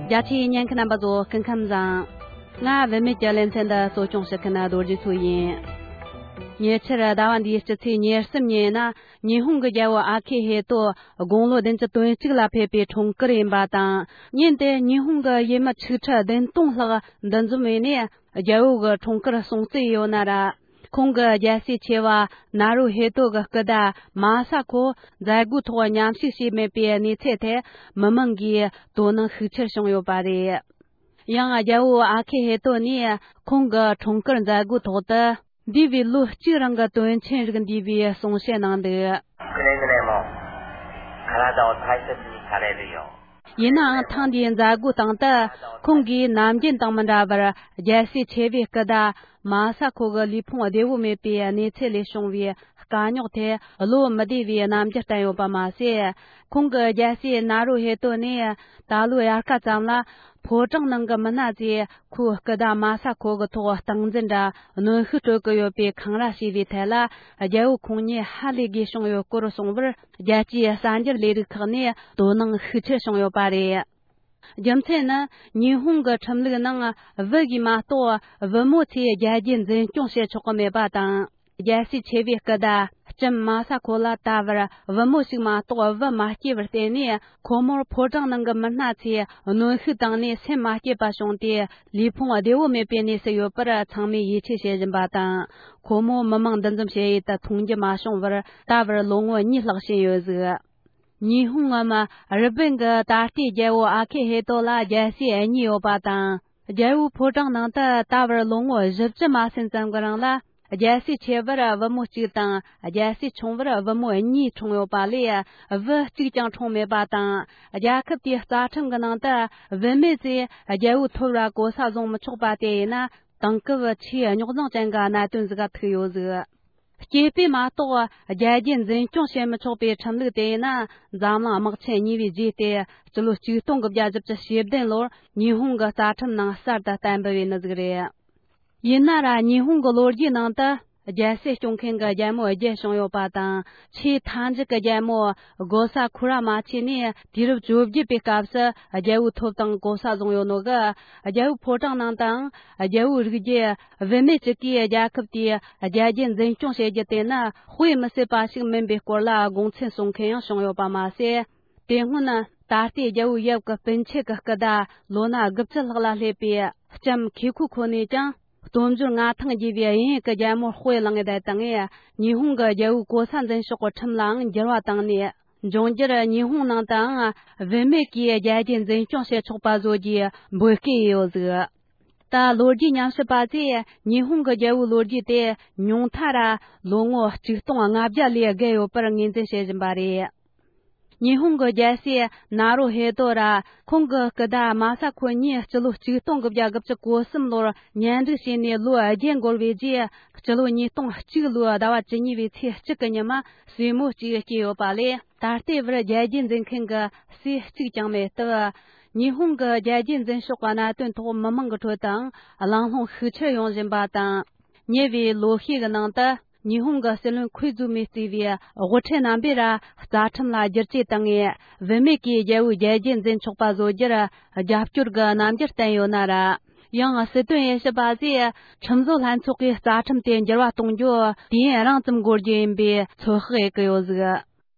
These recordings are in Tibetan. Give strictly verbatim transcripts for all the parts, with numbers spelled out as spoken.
རྒྱ་ཆེའི་ཉན་མཁན་རྣམ་པ་ཚོ་སྐུ་ཁམས་བཟང་། ང་བུད་མེད་ཀྱི་ལེ་ཚན་འདི་གཙོ་སྐྱོང་བྱེད་མཁན་རྡོ་རྗེ་མཚོ་ཡིན། ཉེ་ཆར་ཟླ་བ་འདིའི་སྤྱི་ཚེས་ཉེར་གསུམ་ཉིན་ན་ཉི་ཧོང་གི་རྒྱལ་པོ་ཨ་ཁེ་ཧེ་ཏོ་དགུང་ལོ་བདུན་ཅུ་དོན་གཅིག་ལ་ཕེབས་པའི་འཁྲུངས་སྐར་ཡིན་པ་དང་། ཉིན་དེ་ཉི་ཧོང་གི་ཡུལ་མི་ཆིག་ཁྲི་བདུན་སྟོང་ལྷག་འདུ་འཛོམས་བྱས་ནས་རྒྱལ་པོ་གི་འཁྲུངས་སྐར་སྲུང་བརྩི་ཡོད་ན་ར། ཁོང་གི་རྒྱལ་སྲས་ཆེ་བ་ན་རུ་ཧེ་ཏོ་གི་སྐུ་ཟླ་མ་ས་ཁོ་མཛད་སྒོའི་ཐོག་མཉམ་ཞུགས་བྱས་མེད་པའི་གནས་ཚུལ་ཐད་མི་མང་གིས་དོ་སྣང་ཤུགས་ཆེར་བྱུང་ཡོད་པ་རེད། ཡང་རྒྱལ་པོ་ཨ་ཁེ་ཧེ་ཏོ་ནས་ཁོང་གི་འཁྲུངས་སྐར་མཛད་སྒོའི་ཐོག་ཏུ་འདས་པའི་ལོ་གཅིག་རིང་གི་དོན་ཆེན་རིགས་འདུས་པའི་གསུང་བཤད་གནང་འདུག་ཡིན་ནའང་ཐེངས་འདིའི་མཛད་སྒོའི་སྟེང་དུ་ཁོང་གིས་ནམ་རྒྱུན་དང་མི་འདྲ་བར་རྒྱལ་སྲས་ཆེ་བའི་སྐུ་ཟླ་མ་ས་ཁོ་གི་ལུས་ཕུང་བདེ་བོ་མེད་པའི་གནས་ཚུལ་ལས་བྱུང་བའི་དཀའ་རྙོག་ཐད་བློ་མི་བདེ་བའི་རྣམ་འགྱུར་བསྟན་ཡོད་པ་མ་ཟད། ཁོང་གི་རྒྱལ་སྲས་ན་རུ་ཧེ་ཏོ་ནས་ད་ལོའི་དབྱར་ཁ་ཙམ་ལ་ཕོ་བྲང་ནང་གི་མི་སྣ་ཚོས་ཁོའི་སྐུ་ཟླ་མ་ས་ཁོ་གི་ཐོག་སྟངས་འཛིན་དང་གནོན་ཤུགས་སྤྲོད་ཀྱི་ཡོད་པའི་འཁང་ར་བྱས་པའི་ཐད་ལ། རྒྱལ་པོ་ཁོང་ཉིད་ཧ་ལས་དགོས་བྱུང་ཡོད་སྐོར་གསུངས་པར། རྒྱལ་སྤྱིའི་གསར་འགྱུར་ལས་རིགས་ཁག་ནས་དོ་སྣང་ཤུགས་ཆེར་བྱུང་ཡོད་པ་རེད། རྒྱུ་མཚན་ནི། ཉི་ཧོང་གི་ཁྲིམས་ལུགས་ནང་བུ་གིས་མ་གཏོགས་བུ་མོ་ཚོས་རྒྱལ་རྒྱུད་འཛིན་སྐྱོང་བྱེད་ཆོག་གི་མེད་པ་དང་། རྒྱལ་སྲས་ཆེ་བའི་སྐུ་ཟླ་ལྕམ་མ་ས་ཁོ་ལ་ད་བར་བུ་མོ་ཞིག་མ་གཏོགས་བུ་མ་སྐྱེས་པར་བརྟེན་ནས། ཁོ་མོར་ཕོ་བྲང་ནང་གི་མི་སྣ་ཚོས་གནོན་ཤུགས་བཏང་ནས་སེམས་མ་སྐྱིད་པ་བྱུང་སྟེ། ལུས་ཕུང་བདེ་བོ་མེད་པའི་གནས་སུ་ཡོད་པར་ཚང་མས་ཡིད་ཆེས་བྱེད་བཞིན་པ་དང་། ཁོ་མོ་མི་མང་འདུ་འཛོམས་བྱེད་ཡུལ་དུ་མཐོང་རྒྱུ་མ་བྱུང་བར་ད་བར་ལོ་ངོ་གཉིས་ལྷག་ཕྱིན་ཡོད་ཟིག་ཉི་ཧོང་ངམ་རི་པིན་གྱི་ད་ལྟའི་རྒྱལ་པོ་ཨ་ཁེ་ཧེ་ཏོ་ལ་རྒྱལ་སྲས་གཉིས་ཡོད་པ་དང་། རྒྱལ་པོའི་ཕོ་བྲང་ནང་དུ་ད་བར་ལོ་ངོ་བཞི་བཅུ་མ་ཟིན་ཙམ་གྱི་རིང་ལ། རྒྱལ་སྲས་ཆེ་བར་བུ་མོ་གཅིག་དང་། རྒྱལ་སྲས་ཆུང་བར་བུ་མོ་གཉིས་འཁྲུངས་ཡོད་པ་ལས། བུ་གཅིག་ཀྱང་འཁྲུངས་མེད་པ་དང་། རྒྱལ་ཁབ་དེའི་རྩ་ཁྲིམས་ཀྱི་ནང་དུ་བུད་མེད་ཚོས་རྒྱལ་པོའི་ཐོབ་ར་གོ་ས་བཟུང་མི་ཆོག་པ་དེ་ཡིན་ན། དེང་སྐབས་ཆེས་རྙོག་འཛིང་ཅན་གྱི་གནད་དོན་ཟིག་ག་ཐུག་ཡོད་ཟིག་སྐྱེས་པས་མ་གཏོགས་རྒྱལ་རྒྱུད་འཛིན་སྐྱོང་བྱེད་མི་ཆོག་པའི་ཁྲིམས་ལུགས་དེ་ཡིན་ན། འཛམ་གླིང་དམག་ཆེན་གཉིས་པའི་རྗེས་ཏེ་སྤྱི་ལོ་ཆིག་སྟོང་དགུ་བརྒྱ་བཞི་བཅུ་ཞེ་བདུན་ལོར་ཉི་ཧོང་གི་རྩ་ཁྲིམས་ནང་གསར་དུ་གཏན་འབེབས་ཡིན་ནི་ཟིག་རེད། ཡིན་ན་ར་ཉི་ཧོང་གི་ལོ་རྒྱུས་ནང་དུ་རྒྱལ་སྲིད་སྐྱོང་མཁན་གྱི་རྒྱལ་མོ་བརྒྱད་བྱུང་ཡོད་པ་དང་། ཆེས་མཐའ་མཇུག་གི་རྒྱལ་མོ་གོ་ས་ཁུ་ར་མ་ཆེ་ནས་དུས་རབས་བཅོ་བརྒྱད་པའི་སྐབས་སུ་རྒྱལ་པོའི་ཐོབ་ཐང་གོ་ས་བཟུང་ཡོད་ནོ་གི། རྒྱལ་པོའི་ཕོ་བྲང་ནང་དང་རྒྱལ་པོའི་རིགས་རྒྱུད། བུད་མེད་ཅིག་གིས་རྒྱལ་ཁབ་དེའི་རྒྱལ་རྒྱུད་འཛིན་སྐྱོང་བྱེད་རྒྱུ་དེ་ནི་དཔེ་མི་སྲིད་པ་ཞིག་མིན་པའི་སྐོར་ལ་དགོངས་ཚུལ་གསུང་མཁན་ཡང་བྱུང་ཡོད་པ་མ་ཟད། དེ་སྔོན་ད་ལྟའི་རྒྱལ་པོའི་ཡབ་ཀྱི་སྤུན་མཆེད་ཀྱི་སྐུ་ཟླ་ལོ་ན་དགུ་བཅུ་ལྷག་ལ་སླེབས་པའི་ལྕམ་ཁེ་ཁུ་ཁོ་ནས་ཀྱང་། སྟོབས་འབྱོར་མངའ་ཐང་རྒྱས་པའི་དབྱིན་ཡུལ་གྱི་རྒྱལ་མོར་དཔེ་བླངས་ཡོད་དེ་དང་། ཉི་ཧོང་གི་རྒྱལ་པོའི་གོ་ས་འཛིན་ཕྱོགས་ཀྱི་ཁྲིམས་ལའང་འགྱུར་བ་བཏང་ནས། འབྱུང་འགྱུར་ཉི་ཧོང་ནང་དུའང་བུད་མེད་ཀྱིས་རྒྱལ་རྒྱུད་འཛིན་སྐྱོང་བྱེད་ཆོག་པ་བཟོ་རྒྱུའི་འབོད་སྐུལ་ཡོད་ཟིག་ད་ལོ་རྒྱུས་ཉམས་ཞིབ་པ་ཚོས་ཉི་ཧོང་གི་རྒྱལ་པོའི་ལོ་རྒྱུས་དེ་ཉུང་མཐའ་ར་ལོ་ངོ་ཆིག་སྟོང་ལྔ་བརྒྱ་ལས་བརྒལ་ཡོད་པར་ངོས་འཛིན་བྱེད་བཞིན་པ་རེད། ཉི་ཧོང་གི་རྒྱལ་སྲས་ན་རོ་ཧེ་ཏོ་ར་ཁོང་གི་སྐུ་ཟླ་མ་ས་ཁོ་གཉིས་སྤྱི་ལོ་ཆིག་སྟོང་དགུ་བརྒྱ་དགུ་བཅུ་གོ་གསུམ་ལོར་གཉེན་སྒྲིག་བྱས་ནས་ལོ་བརྒྱད་འགོར་བའི་རྗེས། སྤྱི་ལོ་ཉིས་སྟོང་གཅིག་ལོའི་ཟླ་བ་བཅུ་གཉིས་པའི་ཚེས་གཅིག་གི་ཉི་མ་སྲས་མོ་གཅིག་སྐྱེས་ཡོད་པ་ལས། ད་ལྟའི་བར་རྒྱལ་རྒྱུད་འཛིན་མཁན་གྱི་སྲས་གཅིག་ཀྱང་མེད་སྟབས། ཉི་ཧོང་གི་རྒྱལ་རྒྱུད་འཛིན་ཕྱོགས་ཀྱི་གནད་དོན་ཐོག་མི་མང་གི་ཁྲོད་དུའང་གླེང་སློང་ཤུགས་ཆེར་ཡོང་བཞིན་པ་དང་། ཉེ་བའི་ལོ་ཤས་ཀྱི་ནང་དུ་ཉི་ཧོང་གི་སྲིད་བློན་ཁོའི་ཛུ་མིས་གཙོས་པའི་དབུ་ཁྲིད་རྣམ་པས་ར་རྩ་ཁྲིམས་ལ་བསྒྱུར་བཅོས་བཏང་ངས། བུད་མེད་ཀྱིས་རྒྱལ་པོའི་རྒྱལ་རྒྱུད་འཛིན་ཆོག་པ་བཟོ་རྒྱུར་རྒྱབ་སྐྱོར་གྱི་རྣམ་འགྱུར་བསྟན་ཡོད་ན་ར། ཡང་སྲིད་དོན་དབྱེ་ཞིབ་པ་ཚོས་ཁྲིམས་བཟོ་ལྷན་ཚོགས་ཀྱིས་རྩ་ཁྲིམས་དེ་འགྱུར་བ་གཏོང་རྒྱུ་དུས་ཡུན་རིང་ཙམ་འགོར་རྒྱུ་ཡིན་པའི་ཚོད་དཔག་བྱེད་ཀྱི་ཡོད་ཟིག་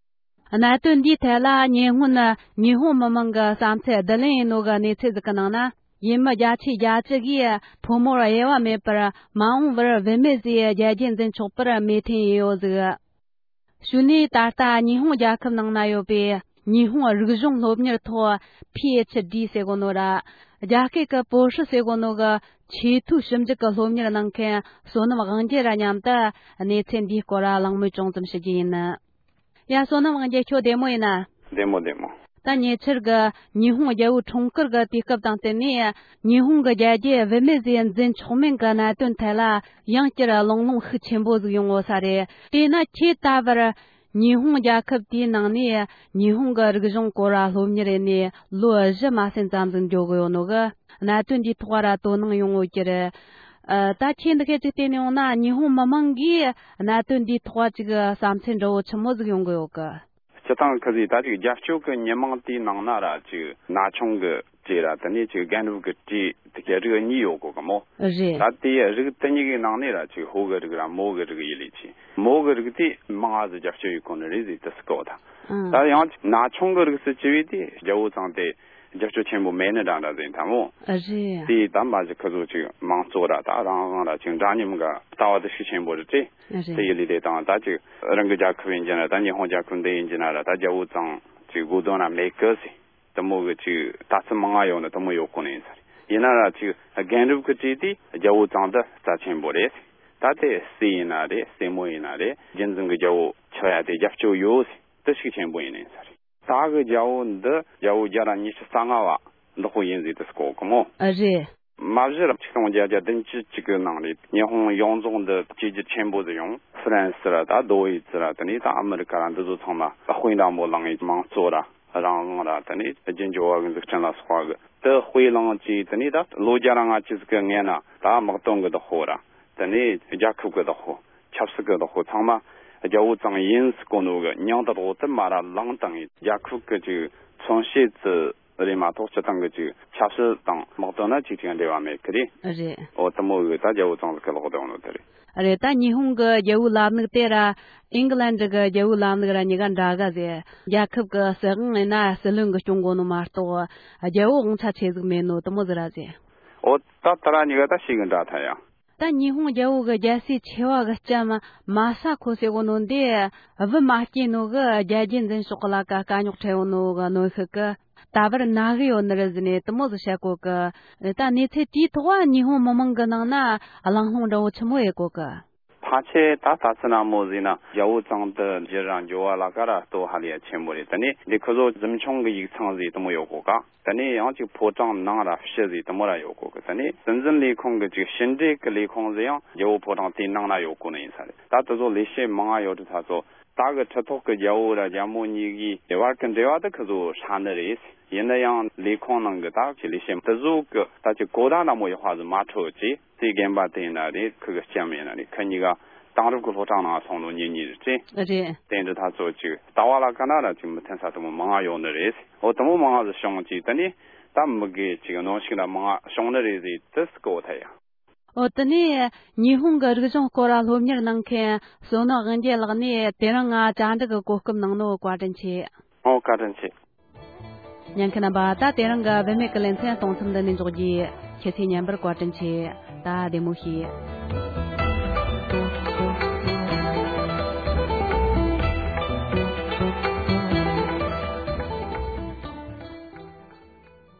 གནད་དོན་འདིའི་ཐད་ལ་ཉེ་སྔོན་ཉི་ཧོང་མི་མང་གི་བསམ་ཚུལ་བསྡུ་ལེན་ཡིན་ནོ་གི་གནས་ཚུལ་ཟིག་གི་ནང་ན། ཡུལ་མི་བརྒྱ་ཆའི་བརྒྱད་ཅུ་གིས་ཕོ་མོར་དབྱེ་བ་མེད་པར་མ་འོངས་པར་བུད་མེད་ཟིག་རྒྱལ་རྒྱུད་འཛིན་ཆོག་པར་མོས་མཐུན་ཡིན་ཡོད་ཟིག་ཞུ་ནས། ད་ལྟ་ཉི་ཧོང་རྒྱལ་ཁབ་ནང་ན་ཡོད་པའི་ཉི་ཧོང་རིག་གཞུང་སློབ་གཉེར་ཐོག་པི་ཨེཆ་ཌི་ཟེར་གོ་ནོ་ར། རྒྱ་སྐད་ཀྱི་博士ཟེར་གོ་ནོ་གི་ཆེས་མཐོའི་ཞིབ་འཇུག་གི་སློབ་གཉེར་གནང་མཁན་བསོད་ནམས་དབང་རྒྱལ་ར་མཉམ་དུ་གནས་ཚུལ་འདིའི་སྐོར་གླེང་མོལ་ཅུང་ཙམ་ཞུ་རྒྱུ་ཡིན། ཡ། བསོད་ནམས་དབང་རྒྱལ། ཁྱོད་བདེ་མོ་ཡིན་ན། བདེ་མོ་བདེ་མོ། ད་ཉེ་ཆར་གི་ཉི་ཧོང་རྒྱལ་པོའི་འཁྲུངས་སྐར་གི་དུས་སྐབས་དང་བསྟུན་ནས། ཉི་ཧོང་གི་རྒྱལ་རྒྱུད་བུད་མེད་ཟིག་འཛིན་ཆོག་མིན་གི་གནད་དོན་ཐད་ལ་ཡང་བསྐྱར་གླེང་སློང་ཤུགས་ཆེན་པོ་ཟིག་ཡོང་ཡོད་ས་རེད། དེས་ན་ཁྱེད་ད་བར་ཉི་ཧོང་རྒྱལ་ཁབ་དེའི་ནང་ནས་ཉི་ཧོང་གི་རིག་གཞུང་སྐོར་ར་སློབ་གཉེར་ཡེ་ནས་ལོ་བཞི་མ་ཟིན་ཙམ་ཟིག་འགྱོ་གི་ཡོད་ནོ་གི། གནད་དོན་འདིའི་ཐོག་ར་དོ་སྣང་ཡོང་ཡོད་ཀྱི་རེད། ཨ། ད་ཁྱེད་འདི་སྐད་ཅིག་བལྟས་ནས་ཡོང་ན། ཉི་ཧོང་མི་མང་གིས་གནད་དོན་འདིའི་ཐོག་ཅིག་བསམ་ཚུལ་འདྲ་བོ་ཆི་མོ་ཟིག་ཡོང་གི་ཡོད་གི། སྤྱི་བཏང་ཁ་ཟིག་ད་ཅིག་རྒྱབ་སྐྱོར་གི་མི་མང་དེའི་ནང་ན་ར་ཅིག་ན་ཆུང་གི་ དེ་ར་དེ་ནས་ཅིག་རྒན་རབས་ཀྱི་གྲས་དེ་གའི་རིགས་གཉིས་ཡོད་གོ་གི་མོ། རེད། ད་དེའི་རིགས་དེ་གཉིས་ཀྱི་ནང་ནས་ར་ཅིག་ཕོ་གི་རིགས་ར་མོ་གི་རིགས་ཡིན་ལས་ཆེ། མོ་གི་རིགས་དེ་མང་ང་ཟིག་རྒྱབ་སྐྱོར་ཡེད་གོ་ནི་རེད་ཟེར་དེ་སུ་གོ་ད། ཨང་། ད་ཡང་ན་ཆུང་གི་རིགས་སུ་བྱས་པས་དེ་རྒྱལ་བོ་ཙང་དེ་རྒྱབ་སྐྱོར་ཆེན་པོ་མེད་ནི་འདྲ་འདྲ་ཟིག་ད་མོ། རེད། དེ་ད་མ་གཞི་ཁོ་ཚོ་ཅིག་མང་གཙོ་ར་ད་རང་དབང་ར་ཅིག་འདྲ་མཉམ་གི་ལྟ་བ་དེ་ཤུགས་ཆེན་པོ་རེད་དེ། རེད། དེ་ཡིན་ལས་དེ་དང་ད་ཅིག་རང་གི་རྒྱལ་ཁབ་ཡིན་གྱི་ན་ར་ད་ཉི་ཧོང་རྒྱལ་ཁབ་འདི་ཡིན་གྱི་ན་ར་ད་རྒྱལ་བོ་ཙང་ཅིག་དགོས་དོན་ར་མེད་གི་ཟེར། དེ་མོ་གི་ཅིག་ལྟ་ཚུལ་མང་ང་ཡོད་ནི་དེ་མོ་ཡོད་གོ་ནི་ཡིན་ས་རེད། ཡིན་ན་ར་ཅིག་རྒན་རབས་ཀྱི་གྲས་དེ་རྒྱལ་བོ་ཙང་དེ་རྩ་ཆེན་པོ་རེད། ད་དེ་སྲས་ཡིན་ན་རེད། སྲས་མོ་ཡིན་ན་རེད། རྒྱུན་འཛིན་གྱི་རྒྱལ་བོ་ཆགས་ཡ་དེ་རྒྱབ་སྐྱོར་ཡོད་ཟེར་དེ་ཤུགས་ཆེན་པོ་ཡིན་ནི་ཡིན་ས་རེད། ད་གི་རྒྱལ་བོ་འདི་རྒྱལ་བོ་བརྒྱ་དང་ཉི་ཤུ་རྩ་ལྔ་བ་འདི་ཁོ་ཡིན་ཟེར་དེ་སུ་གོ་གི་མོ། ཨ་རེད། མ་གཞི་ར་ཆིག་སྟོང་བརྒྱད་བརྒྱ་བདུན་ཅུ་གཅིག་གི་ནང་ནས་ཉི་ཧོང་ཡོངས་རྫོགས་འདི་བཅོས་བསྒྱུར་ཆེན་པོ་ཟིག་ཡོང་། ཧྥ་རན་སི་ར་ད་རྡོ་ཝེ་ཙི་ར་དེ་ནས་ད་ཨ་མི་རི་ཀ་ར་འདི་ཚོ་ཚང་མ་དཔེ་འདྲ་མོ་བླངས་ཡི་མང་གཙོ་ར་རང་དབང་ར་དེ་ནས་རྒྱུ་འབྱོར་བ་གི་འཛུགས་སྐྲུན་ལ་སོགས་པ་གི་དེ་དཔེ་བླངས་ཀྱིས་དེ་ནས་ད་ལོ་བརྒྱ་ར་ལྔ་བཅུ་ཟིག་གི་སྔོན་ན་ད་དམག་དོན་གི་བདག་པོ་ར་དེ་ནས་རྒྱལ་ཁབ་གི་བདག་པོ་ཆབ་སྲིད་གི་བདག་པོ་ཚང་མ་རྒྱལ་བོ་ཙང་ཡིན་ཟེར་གོ་ནོ་གི་མྱིང་དེ་དག་དེ་མ་ར་བླངས་བཏང་ཡི་རྒྱལ་ཁབ་གི་ཅིག་མཚོན་བྱེད་ཙི་རེད་མ་གཏོགས་སྤྱི་བཏང་གི་ཅིག་ཆབ་སྲིད་དང་དམག་དོན་ན་ཅིག་ཅིག་འབྲེལ་བ་མེད་གི་རེད། རེད། འོ་དེ་མོ་གི་ད་རྒྱལ་བོ་ཙང་ཟིག་གི་ལོག་བསྡད་ནོ་དེ་རེད། རེད། ད་ཉི་ཧོང་གི་རྒྱལ་བོའི་ལམ་ལུགས་དེ་ར་ཨིང་ལན་གྱི་རྒྱལ་བོའི་ལམ་ལུགས་ར་གཉིས་ཀ་འདྲ་ག་ཟེར། རྒྱལ་ཁབ་གི་སྲིད་དབང་ཡིན་ན་སྲིད་བློན་གྱིས་སྐྱོང་དགོས་ནོ་མ་གཏོགས་རྒྱལ་བོ་དབང་ཆ་ཆེ་ཟིག་མེད་ནོ་དེ་མོ་ཟིག་ར་ཟེར། འོ་ད་དེ་ར་གཉིས་ཀ་ད་ཤེས་གི་འདྲ་ཐལ་ཡ། ད་ཉི་ཧོང་རྒྱལ་བོ་གི་རྒྱལ་སྲས་ཆེ་བ་གི་ལྕམ་མ་ས་ཁོ་ཟེར་གོ་ནོ་འདི་བུ་མ་སྐྱེས་ནོ་གི་རྒྱལ་རྒྱུད་འཛིན་ཕྱོགས་གི་ལ་ཀ་དཀའ་རྙོག་འཕྲད་ཡོད་ནོ་གི་གནོན་ཤུགས་གི་ད་བར་ན་གི་ཡོད་ནི་རེད་ཟེར་ནས་དེ་མོ་ཟིག་བཤད་གོ་གི། ད་གནས་ཚུལ་དེའི་ཐོག་ཉི་ཧོང་མི་མང་གི་ནང་ན་གླེང་སློང་འདྲ་བོ་ཆི་མོ་ཡེ་གོ་གི། ཕལ་ཆེར་ད་ལྟ་ཚུལ་ན་མོ་ཟིག་ན་རྒྱལ་བོ་ཙང་དེ་འགྱུར་ར་འགྱུར་བ་ལ་ཀ་ར་ལྟོ་ཧ་ལས་ཡ་ཆེན་པོ་རེད། དེ་ནས་འདི་ཁོ་ཚོ་གཟིམ་ཆུང་གི་ཡིག་ཚང་ཟིག་དེ་མོ་ཡོད་གོ་ག། དེ་ནས་ཡང་ཅིག་ཕོ་བྲང་ནང་ར་ཕྱི་ཟིག་དེ་མོ་ར་ཡོད་གོ་གི། དེ་ནས་སྲིད་འཛིན་ལས་ཁུངས་ཀྱི་ཅིག་ཕྱི་འབྲེལ་གྱི་ལས་ཁུངས་ཟིག་ཡང་རྒྱལ་བོ་ཕོ་བྲང་དེའི་ནང་ན་ཡོད་གོ་ནི་ཡིན་ས་རེད། ད་དེ་ཚོ་ལས་བྱེད་མང་ང་ཡོད་དུས་ད་ཚོ་ད་གི་ཁྲི་ཐོག་གི་རྒྱལ་བོ་ར་རྒྱལ་མོ་གཉིས་ཀྱི་བར་གྱི་འབྲེལ་བ་དེ་ཁོ་ཚོ་ཧྲ་ནི་རེད། ཡིན་ན་ཡང་ལས་ཁུངས་ནང་གི་ད་ཅིག་ལས་བྱེད་དེ་ཚོ་གི་ད་ཅིག་གོ་བརྡ་འདྲ་མོ་ཡག་པ་ཟིག་མ་འཕྲོད་ཅིག་དེ་རྒན་པ་དེ་ཡིན་ན་རེད། ཁོ་གི་ལྕམ་ཡིན་ན་རེད། ཁོ་གཉིས་ཀ་དེང་རབས་ཀྱི་སློབ་གྲྭ་ནང་སོང་ནོ་གཉེན་ཉེ་རེད་ཅེ། རེད། དེ་འདྲ་ད་ཚོ་ཅིག་ལྟ་བ་ལ་ཀ་ན་ར་ཅིག་མི་མཐུན་ས་དེ་མོ་མང་ང་ཡོད་ནི་རེད། འོ་དེ་མོ་མང་ང་ཟིག་བྱུང་ཅིག་དེ་ནས་ད་མི་དགེ་ཅིག་གནོན་ཤུགས་ལ་མང་ང་བྱུང་ནི་རེད་ཟེར་དེ་སུ་གོ་ཐལ་ཡ། འོ་དེ་ནས་ཉི་ཧོང་གི་རིག་གཞུང་སྐོར་ལ་སློབ་གཉེར་གནང་མཁན་བསོད་ནམས་དབང་རྒྱལ་ལགས་ནས་དེ་རིང་ང་བཅར་འདྲི་གི་གོ་སྐབས་གནང་ནོ་བཀའ་དྲིན་ཆེ། ཨོ་བཀའ་དྲིན་ཆེ། ཉན་མཁན་རྣམ་པ། ད་དེ་རིང་གི་བུད་མེད་ཀྱི་ལེ་ཚན་གཏོང་མཚམས་འདི་ནས་འཇོག་རྒྱུ། ཁྱེད་ཚོས་ཉན་པར་བཀའ་དྲིན་ཆེ། ད་བདེ་མོ་བྱོས།